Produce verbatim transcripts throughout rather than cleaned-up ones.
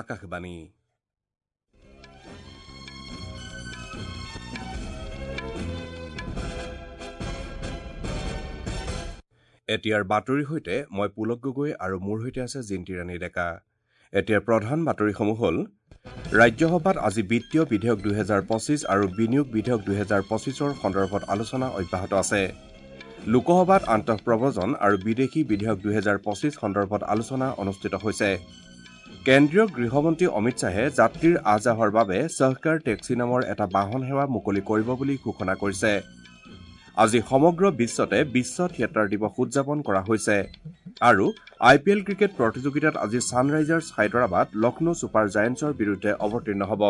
আকাশবাণী। এতিয়াৰ বাতৰিৰ সৈতে মই পুলক গগৈ আৰু মোৰ সৈতে আছে জিন্তি ৰাণী ডেকা। এতিয়াৰ প্ৰধান বাতৰিসমূহ হ'ল: ৰাজ্যসভাত আজি বিত্তীয় বিধেয়ক দুহেজাৰ পঁচিছ আৰু বিনিয়োগ বিধেয়ক দুহেজাৰ পঁচিছৰ সন্দৰ্ভত আলোচনা অব্যাহত আছে। লোকসভাত আন্তঃপ্ৰব্ৰজন আৰু বিদেশী বিধেয়ক দুহেজাৰ পঁচিছ সন্দৰ্ভত আলোচনা অনুষ্ঠিত হৈছে। কেন্দ্ৰীয় গৃহমন্ত্ৰী অমিত শ্বাহে যাত্ৰীৰ আহ যাহৰ বাবে সহকাৰ টেক্সি নামৰ এটা বাহন সেৱা মুকলি কৰিব বুলি ঘোষণা কৰিছে। আজি সমগ্ৰ বিশ্বতে বিশ্ব থিয়েটাৰ দিৱস উদযাপন কৰা হৈছে। আৰু আই পি এল ক্ৰিকেট প্ৰতিযোগিতাত আজি ছানৰাইজাৰ্ছ হায়দৰাবাদ লক্ষ্ণৌ ছুপাৰ জায়েণ্টছৰ বিৰুদ্ধে অৱতীৰ্ণ হ'ব।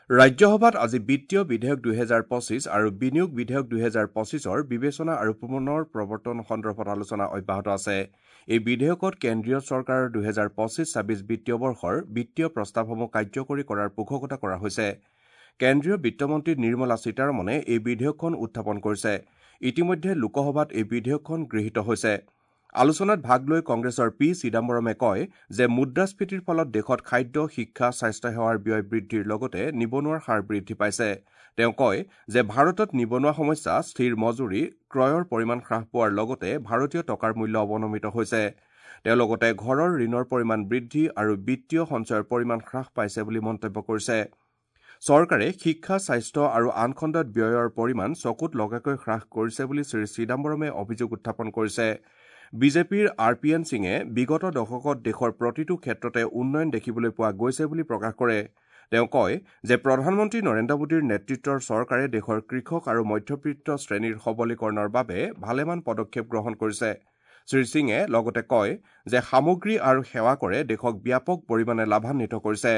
ৰাজ্যসভাত আজি বিত্তীয় বিধেয়ক দুহেজাৰ পঁচিছ আৰু বিনিয়োগ বিধেয়ক দুহেজাৰ পঁচিছৰ বিবেচনা আৰু পুনৰ প্ৰৱৰ্তন সন্দৰ্ভত আলোচনা অব্যাহত আছে। এই বিধেয়কত কেন্দ্ৰীয় চৰকাৰৰ দুহেজাৰ পঁচিছ ছাব্বিছ বিত্তীয় বৰ্ষৰ বিত্তীয় প্ৰস্তাৱসমূহ কাৰ্যকৰী কৰাৰ পোষকতা কৰা হৈছে। কেন্দ্ৰীয় বিত্তমন্ত্ৰী নিৰ্মলা সীতাৰমণে এই বিধেয়কখন উত্থাপন কৰিছে। ইতিমধ্যে লোকসভাত এই বিধেয়কখন গৃহীত হৈছে। আলোচনাত ভাগ লৈ কংগ্ৰেছৰ পি চিদাম্বৰমে কয় যে মুদ্ৰাস্ফীতিৰ ফলত দেশত খাদ্য, শিক্ষা, স্বাস্থ্যসেৱাৰ ব্যয় বৃদ্ধিৰ লগতে নিবনুৱাৰ হাৰ বৃদ্ধি পাইছে। তেওঁ কয় যে ভাৰতত নিবনুৱা সমস্যা, স্থিৰ মজুৰি, ক্ৰয়ৰ পৰিমাণ হ্ৰাস পোৱাৰ লগতে ভাৰতীয় টকাৰ মূল্য অৱনমিত হৈছে। তেওঁ লগতে ঘৰৰ ঋণৰ পৰিমাণ বৃদ্ধি আৰু বিত্তীয় সঞ্চয়ৰ পৰিমাণ হ্ৰাস পাইছে বুলি মন্তব্য কৰিছে। চৰকাৰে শিক্ষা, স্বাস্থ্য আৰু আন খণ্ডত ব্যয়ৰ পৰিমাণ চকুত লগাকৈ হ্ৰাস কৰিছে বুলি শ্ৰী চিদাম্বৰমে অভিযোগ উত্থাপন কৰিছে। বিজেপিৰ আৰ পি এন সিঙে বিগত দশকত দেশৰ প্ৰতিটো ক্ষেত্ৰতে উন্নয়ন দেখিবলৈ পোৱা গৈছে বুলি প্ৰকাশ কৰে। তেওঁ কয় যে প্ৰধানমন্ত্ৰী নৰেন্দ্ৰ মোদীৰ নেতৃত্বৰ চৰকাৰে দেশৰ কৃষক আৰু মধ্যবিত্ত শ্ৰেণীৰ সবলীকৰণৰ বাবে ভালেমান পদক্ষেপ গ্ৰহণ কৰিছে। শ্ৰী সিঙে লগতে কয় যে সামগ্ৰী আৰু সেৱা কৰে দেশক ব্যাপক পৰিমাণে লাভান্বিত কৰিছে।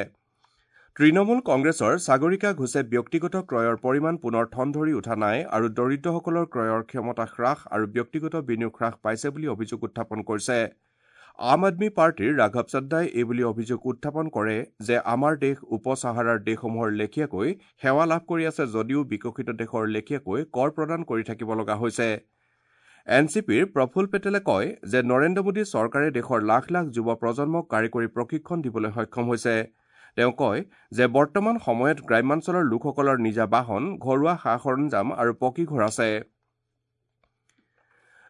তৃণমূল কংগ্ৰেছৰ সাগৰিকা ঘোষে ব্যক্তিগত ক্ৰয়ৰ পৰিমাণ পুনৰ ঠন ধৰি উঠা নাই আৰু দৰিদ্ৰসকলৰ ক্ৰয়ৰ ক্ষমতা হ্ৰাস আৰু ব্যক্তিগত বিনিয়োগ হ্ৰাস পাইছে বুলি অভিযোগ উত্থাপন কৰিছে। আম আদমী পাৰ্টীৰ ৰাঘৱ চড্ডাই এইবুলি অভিযোগ উত্থাপন কৰে যে আমাৰ দেশ উপ চাহাৰাৰ দেশসমূহৰ লেখীয়াকৈ সেৱা লাভ কৰি আছে যদিও বিকশিত দেশৰ লেখীয়াকৈ কৰ প্ৰদান কৰি থাকিব লগা হৈছে। এন চি পিৰ প্ৰফুল পেটেলে কয় যে নৰেন্দ্ৰ মোদী চৰকাৰে দেশৰ লাখ লাখ যুৱ প্ৰজন্মক কাৰিকৰী প্ৰশিক্ষণ দিবলৈ সক্ষম হৈছে। তেওঁ কয় যে বৰ্তমান সময়ত গ্ৰাম্যাঞ্চলৰ লোকসকলৰ নিজা বাহন, ঘৰুৱা সা সৰঞ্জাম আৰু পকী ঘৰ আছে।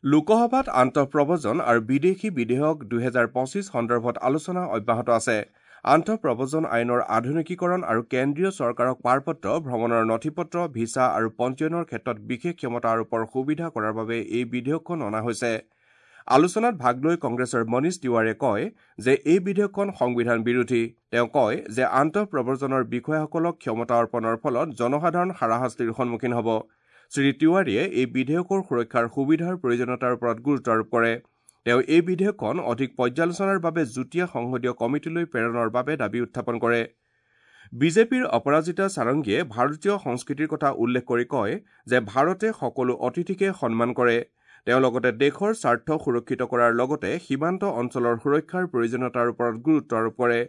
লোকসভাত আন্তঃপ্ৰব্ৰজন আৰু বিদেশী বিধেয়ক দুহেজাৰ পঁচিছ সন্দৰ্ভত আলোচনা অব্যাহত আছে। আন্তঃপ্ৰব্ৰজন আইনৰ আধুনিকীকৰণ আৰু কেন্দ্ৰীয় চৰকাৰক পাৰপত্ৰ, ভ্ৰমণৰ নথিপত্ৰ, ভিছা আৰু পঞ্জীয়নৰ ক্ষেত্ৰত বিশেষ ক্ষমতা আৰোপৰ সুবিধা কৰাৰ বাবে এই বিধেয়কখন অনা হৈছে। আলোচনাত ভাগ লৈ কংগ্ৰেছৰ মনীষ তিৱাৰীয়ে কয় যে এই বিধেয়কখন সংবিধান বিৰোধী। তেওঁ কয় যে আন্তঃপ্ৰব্ৰজনৰ বিষয়াসকলক ক্ষমতা অৰ্পণৰ ফলত জনসাধাৰণ হাৰাশাস্তিৰ সন্মুখীন হ'ব। শ্ৰী তিৱাৰীয়ে এই বিধেয়কৰ সুৰক্ষাৰ সুবিধাৰ প্ৰয়োজনীয়তাৰ ওপৰত গুৰুত্ব আৰোপ কৰে। তেওঁ এই বিধেয়কখন অধিক পৰ্যালোচনাৰ বাবে যুটীয়া সংসদীয় কমিটিলৈ প্ৰেৰণৰ বাবে দাবী উত্থাপন কৰে। বিজেপিৰ অপৰাজিতা সাৰংগীয়ে ভাৰতীয় সংস্কৃতিৰ কথা উল্লেখ কৰি কয় যে ভাৰতে সকলো অতিথিকে সন্মান কৰে। তেওঁ লগতে দেশৰ স্বাৰ্থ সুৰক্ষিত কৰাৰ লগতে সীমান্ত অঞ্চলৰ সুৰক্ষাৰ প্ৰয়োজনীয়তাৰ ওপৰত গুৰুত্ব আৰোপ কৰে।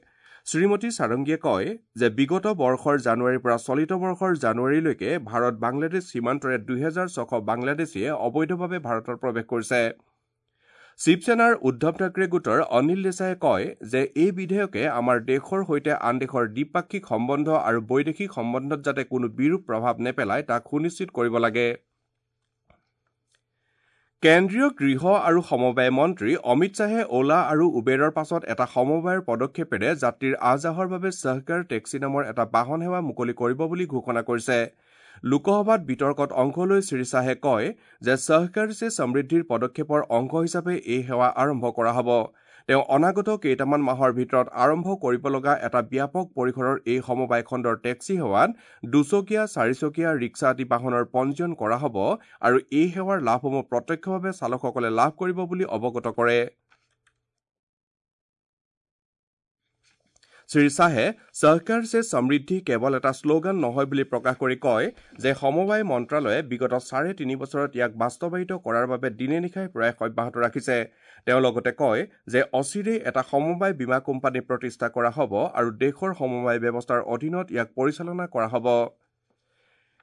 শ্ৰীমতী সাৰংগীয়ে কয় যে বিগত বৰ্ষৰ জানুৱাৰীৰ পৰা চলিত বৰ্ষৰ জানুৱাৰীলৈকে ভাৰত বাংলাদেশ সীমান্তৰে দুহেজাৰ ছশ বাংলাদেশীয়ে অবৈধভাৱে ভাৰতত প্ৰৱেশ কৰিছে। শিৱসেনাৰ উদ্ধৱ ঠাকৰে গোটৰ অনিল দেশায়ে কয় যে এই বিধেয়কে আমাৰ দেশৰ সৈতে আন দেশৰ দ্বিপাক্ষিক সম্বন্ধ আৰু বৈদেশিক সম্বন্ধত যাতে কোনো বিৰূপ প্ৰভাৱ নেপেলায় তাক সুনিশ্চিত কৰিব লাগে। কেন্দ্ৰীয় গৃহ আৰু সমবায় মন্ত্ৰী অমিত শ্বাহে অ'লা আৰু উবেৰৰ পাছত এটা সমবায়ৰ পদক্ষেপেৰে যাত্ৰীৰ আহ যাহৰ বাবে সহকাৰ টেক্সি নামৰ এটা বাহন সেৱা মুকলি কৰিব বুলি ঘোষণা কৰিছে। লোকসভাত বিতৰ্কত অংশ লৈ শ্ৰী শ্বাহে কয় যে সহকাৰ চে সমৃদ্ধিৰ পদক্ষেপৰ অংশ হিচাপে এই সেৱা আৰম্ভ কৰা হ'ব। তেওঁ অনাগত কেইটামান মাহৰ ভিতৰত আৰম্ভ কৰিব লগা এটা ব্যাপক পৰিসৰৰ এই সমবায় খণ্ডৰ টেক্সি সেৱাত দুচকীয়া, চাৰিচকীয়া, ৰিক্সা আদি বাহনৰ পঞ্জীয়ন কৰা হ'ব আৰু এই সেৱাৰ লাভসমূহ প্ৰত্যক্ষভাৱে চালকসকলে লাভ কৰিব বুলি অৱগত কৰে। শ্ৰী শ্বাহে সহকাৰ চে সমৃদ্ধি কেৱল এটা শ্লোগান নহয় বুলি প্ৰকাশ কৰি কয় যে সমবায় মন্ত্ৰালয়ে বিগত চাৰে তিনি বছৰত ইয়াক বাস্তৱায়িত কৰাৰ বাবে দিনে নিশাই প্ৰয়াস অব্যাহত ৰাখিছে। তেওঁ লগতে কয় যে অচিৰেই এটা সমবায় বীমা কোম্পানী প্ৰতিষ্ঠা কৰা হ'ব আৰু দেশৰ সমবায় ব্যৱস্থাৰ অধীনত ইয়াক পৰিচালনা কৰা হ'ব।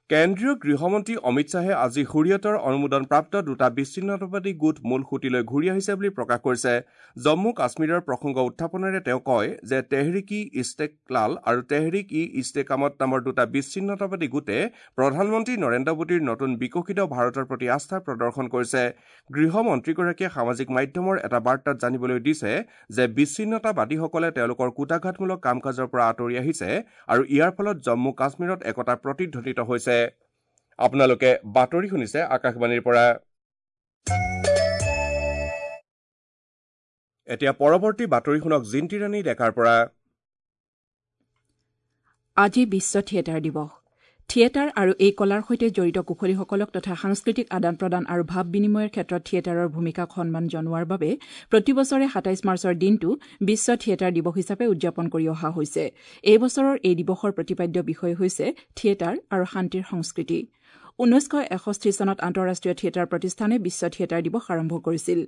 কেন্দ্ৰীয় গৃহমন্ত্ৰী অমিত শ্বাহে আজি হুৰিয়তৰ অনুমোদনপ্ৰাপ্ত দুটা বিচ্ছিন্নতাবাদী গোট মূল সুঁতিলৈ ঘূৰি আহিছে বুলি প্ৰকাশ কৰিছে। জম্মু কাশ্মীৰৰ প্ৰসংগ উত্থাপনেৰে তেওঁ কয় যে তেহৰিক ই ইষ্টেকলাল আৰু তেহৰিক ই ইষ্টেকামত নামৰ দুটা বিচ্ছিন্নতাবাদী গোটে প্ৰধানমন্ত্ৰী নৰেন্দ্ৰ মোদীৰ নতুন বিকশিত ভাৰতৰ প্ৰতি আস্থা প্ৰদৰ্শন কৰিছে। গৃহমন্ত্ৰীগৰাকীয়ে সামাজিক মাধ্যমৰ এটা বাৰ্তাত জানিবলৈ দিছে যে বিচ্ছিন্নতাবাদীসকলে তেওঁলোকৰ কূটাঘাতমূলক কাম কাজৰ পৰা আঁতৰি আহিছে আৰু ইয়াৰ ফলত জম্মু কাশ্মীৰত একতা প্ৰতিধ্বনিত হৈছে। আপোনালোকে বাতৰি শুনিছে আকাশবাণীৰ পৰা। এতিয়া পৰৱৰ্তী বাতৰি শুনক জিন্তিৰাণী ডেকাৰ পৰা। আজি বিশ্ব থিয়েটাৰ দিৱস। থিয়েটাৰ আৰু এই কলাৰ সৈতে জড়িত কুশলীসকলক তথা সাংস্কৃতিক আদান প্ৰদান আৰু ভাৱ বিনিময়ৰ ক্ষেত্ৰত থিয়েটাৰৰ ভূমিকাক সন্মান জনোৱাৰ বাবে প্ৰতি বছৰে সাতাইছ মাৰ্চৰ দিনটো বিশ্ব থিয়েটাৰ দিৱস হিচাপে উদযাপন কৰি অহা হৈছে। এই বছৰৰ এই দিৱসৰ প্ৰতিপাদ্য বিষয় হৈছে থিয়েটাৰ আৰু শান্তিৰ সংস্কৃতি। ঊনৈছশ এষষ্ঠি চনত আন্তঃৰাষ্ট্ৰীয় থিয়েটাৰ প্ৰতিষ্ঠানে বিশ্ব থিয়েটাৰ দিৱস আৰম্ভ কৰিছিল।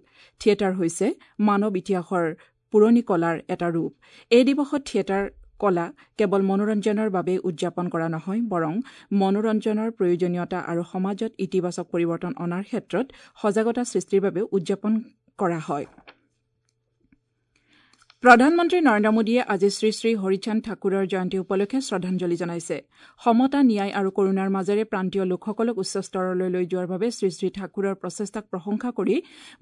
থিয়েটাৰ হৈছে মানৱ ইতিহাসৰ পুৰণি কলাৰ এটা ৰূপ। এই দিৱসত থিয়েটাৰ কলা কেৱল মনোৰঞ্জনৰ বাবেই উদযাপন কৰা নহয়, বৰং মনোৰঞ্জনৰ প্ৰয়োজনীয়তা আৰু সমাজত ইতিবাচক পৰিৱৰ্তন অনাৰ ক্ষেত্ৰত সজাগতা সৃষ্টিৰ বাবেও উদযাপন কৰা হয়। প্ৰধানমন্ত্ৰী নৰেন্দ্ৰ মোদীয়ে আজি শ্ৰী শ্ৰী হৰিচান্দ ঠাকুৰৰ জয়ন্তী উপলক্ষে শ্ৰদ্ধাঞ্জলি জনাইছে। সমতা, ন্যায় আৰু কৰুণাৰ মাজেৰে প্ৰান্তীয় লোকসকলক উচ্চ স্তৰলৈ লৈ যোৱাৰ বাবে শ্ৰী শ্ৰী ঠাকুৰৰ প্ৰচেষ্টাক প্ৰশংসা কৰি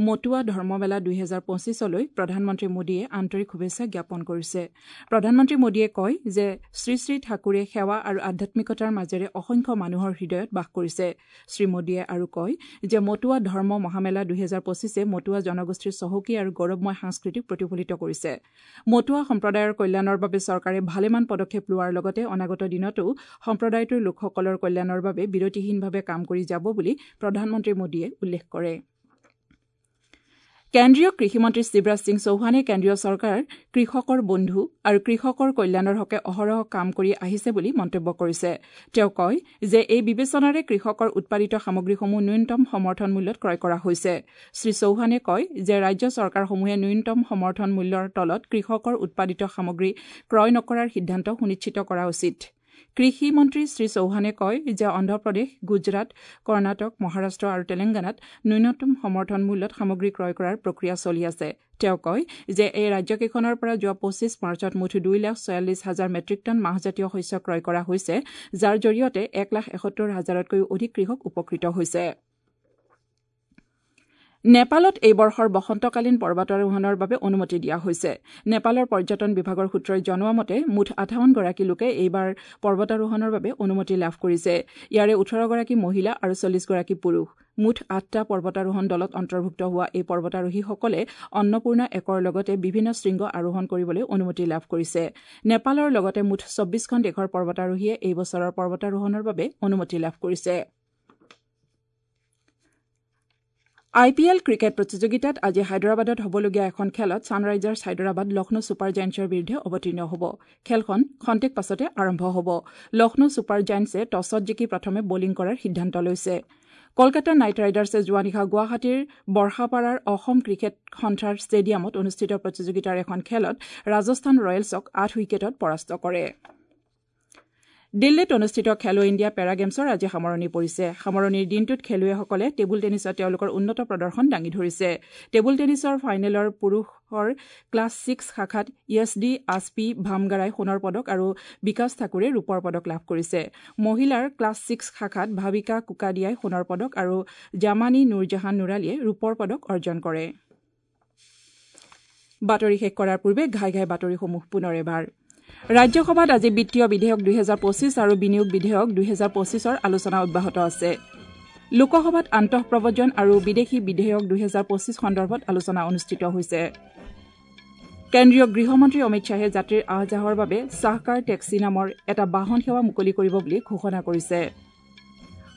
মটুৱা ধৰ্মমেলা দুহেজাৰ পঁচিছলৈ প্ৰধানমন্ত্ৰী মোদীয়ে আন্তৰিক শুভেচ্ছা জ্ঞাপন কৰিছে। প্ৰধানমন্ত্ৰী মোদীয়ে কয় যে শ্ৰী শ্ৰী ঠাকুৰে সেৱা আৰু আধ্যাত্মিকতাৰ মাজেৰে অসংখ্য মানুহৰ হৃদয়ত বাস কৰিছে। শ্ৰী মোদীয়ে আৰু কয় যে মটুৱা ধৰ্ম মহামেলা দুহেজাৰ পঁচিছে মটুৱা জনগোষ্ঠীৰ চহকী আৰু গৌৰৱময় সংস্কৃতিক প্ৰতিফলিত কৰিছে। মটুৱা সম্প্ৰদায়ৰ কল্যাণৰ বাবে চৰকাৰে ভালেমান পদক্ষেপ লোৱাৰ লগতে অনাগত দিনতো সম্প্ৰদায়টোৰ লোকসকলৰ কল্যাণৰ বাবে বিৰতিহীনভাৱে কাম কৰি যাব বুলি প্ৰধানমন্ত্ৰী মোদীয়ে উল্লেখ কৰে। কেন্দ্ৰীয় কৃষিমন্ত্ৰী শিৱৰাজ সিং চৌহানে কেন্দ্ৰীয় চৰকাৰ কৃষকৰ বন্ধু আৰু কৃষকৰ কল্যাণৰ হকে অহৰহ কাম কৰি আহিছে বুলি মন্তব্য কৰিছে। তেওঁ কয় যে এই বিবেচনাৰে কৃষকৰ উৎপাদিত সামগ্ৰীসমূহ ন্যূনতম সমৰ্থন মূল্যত ক্ৰয় কৰা হৈছে। শ্ৰী চৌহানে কয় যে ৰাজ্য চৰকাৰসমূহে ন্যূনতম সমৰ্থন মূল্যৰ তলত কৃষকৰ উৎপাদিত সামগ্ৰী ক্ৰয় নকৰাৰ সিদ্ধান্ত সুনিশ্চিত কৰা উচিত। কৃষি মন্ত্ৰী শ্ৰী চৌহানে কয় যে অন্ধ্ৰপ্ৰদেশ, গুজৰাট, কৰ্ণাটক, মহাৰাষ্ট্ৰ আৰু তেলেংগানাত ন্যূনতম সমৰ্থন মূল্যত সামগ্ৰী ক্ৰয় কৰাৰ প্ৰক্ৰিয়া চলি আছে। তেওঁ কয় যে এই ৰাজ্যকেইখনৰ পৰা যোৱা পঁচিছ মাৰ্চত মুঠ দুই লাখ ছয়াল্লিছ হাজাৰ মেট্ৰিক টন মাহজাতীয় শস্য ক্ৰয় কৰা হৈছে, যাৰ জৰিয়তে এক লাখ এসত্তৰ হাজাৰতকৈও অধিক কৃষক উপকৃত হৈছে। নেপালত এই বৰ্ষৰ বসন্তকালীন পৰ্বতাৰোহণৰ বাবে অনুমতি দিয়া হৈছে। নেপালৰ পৰ্যটন বিভাগৰ সূত্ৰই জনোৱা মতে মুঠ আঠাৱন্নগৰাকী লোকে এইবাৰ পৰ্বতাৰোহণৰ বাবে অনুমতি লাভ কৰিছে। ইয়াৰে ওঠৰগৰাকী মহিলা আৰু চল্লিছগৰাকী পুৰুষ। মুঠ আঠটা পৰ্বতাৰোহণ দলত অন্তৰ্ভুক্ত হোৱা এই পৰ্বতাৰোহীসকলে অন্নপূৰ্ণা একৰ লগতে বিভিন্ন শৃংগ আৰোহণ কৰিবলৈ অনুমতি লাভ কৰিছে। নেপালৰ লগতে মুঠ চৌব্বিছখন দেশৰ পৰ্বতাৰোহীয়ে এই বছৰৰ পৰ্বতাৰোহণৰ বাবে অনুমতি লাভ কৰিছে। আই পি এল ক্ৰিকেট প্ৰতিযোগিতাত আজি হায়দৰাবাদত হ'বলগীয়া এখন খেলত ছানৰাইজাৰ্ছ হায়দৰাবাদ লক্ষ্ণৌ ছুপাৰ জায়েণ্টছৰ বিৰুদ্ধে অৱতীৰ্ণ হ'ব। খেলখন খন্তেক পাছতে আৰম্ভ হ'ব। লক্ষ্ণৌ ছুপাৰ জায়েণ্টছে টছত জিকি প্ৰথমে বলিং কৰাৰ সিদ্ধান্ত লৈছে। কলকাতা নাইট ৰাইডাৰ্ছে যোৱা নিশা গুৱাহাটীৰ বৰ্ষাপাৰাৰ অসম ক্ৰিকেট সন্থাৰ ষ্টেডিয়ামত অনুষ্ঠিত প্ৰতিযোগিতাৰ এখন খেলত ৰাজস্থান ৰয়েলছক আঠ উইকেটত পৰাস্ত কৰে। দিল্লীত অনুষ্ঠিত খেলো ইণ্ডিয়া পেৰা গেমছৰ আজি সামৰণি পৰিছে। সামৰণিৰ দিনটোত খেলুৱৈসকলে টেবুল টেনিছত তেওঁলোকৰ উন্নত প্ৰদৰ্শন দাঙি ধৰিছে। টেবুল টেনিছৰ ফাইনেলৰ পুৰুষৰ ক্লাছ ছিক্স শাখাত য়েছ ডি আছপি ভামগাৰাই সোণৰ পদক আৰু বিকাশ ঠাকুৰে ৰূপৰ পদক লাভ কৰিছে। মহিলাৰ ক্লাছ ছিক্স শাখাত ভাৱিকা কুকাডিয়াই সোণৰ পদক আৰু জামানী নুৰজাহান নুৰালীয়ে ৰূপৰ পদক অৰ্জন কৰে। বাতৰি শেষ কৰাৰ পূৰ্বে ঘাই ঘাই বাতৰিসমূহ পুনৰ এবাৰ। ৰাজ্যসভাত আজি বিত্তীয় বিধেয়ক দুহেজাৰ পঁচিছ আৰু বিনিয়োগ বিধেয়ক দুহেজাৰ পঁচিছৰ আলোচনা অব্যাহত আছে। লোকসভাত আন্তঃপ্ৰব্ৰজন আৰু বিদেশী বিধেয়ক দুহেজাৰ পঁচিছ সন্দৰ্ভত আলোচনা অনুষ্ঠিত হৈছে। কেন্দ্ৰীয় গৃহমন্ত্ৰী অমিত শ্বাহে যাত্ৰীৰ আহ যাহৰ বাবে চাহকাৰ টেক্সি নামৰ এটা বাহন সেৱা মুকলি কৰিব বুলি ঘোষণা কৰিছে।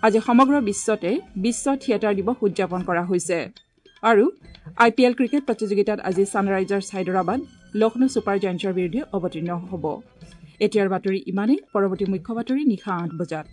আজি সমগ্ৰ বিশ্বতে বিশ্ব থিয়েটাৰ দিৱস উদযাপন কৰা হৈছে। আৰু আই পি এল ক্ৰিকেট প্ৰতিযোগিতাত আজি ছানৰাইজাৰ্ছ হায়দৰাবাদ লক্ষ্ণৌ ছুপাৰ জায়েণ্টছৰ বিৰুদ্ধে অৱতীৰ্ণ হ'ব। এতিয়াৰ বাতৰি ইমানেই। পৰৱৰ্তী মুখ্য বাতৰি নিশা আঠ বজাত।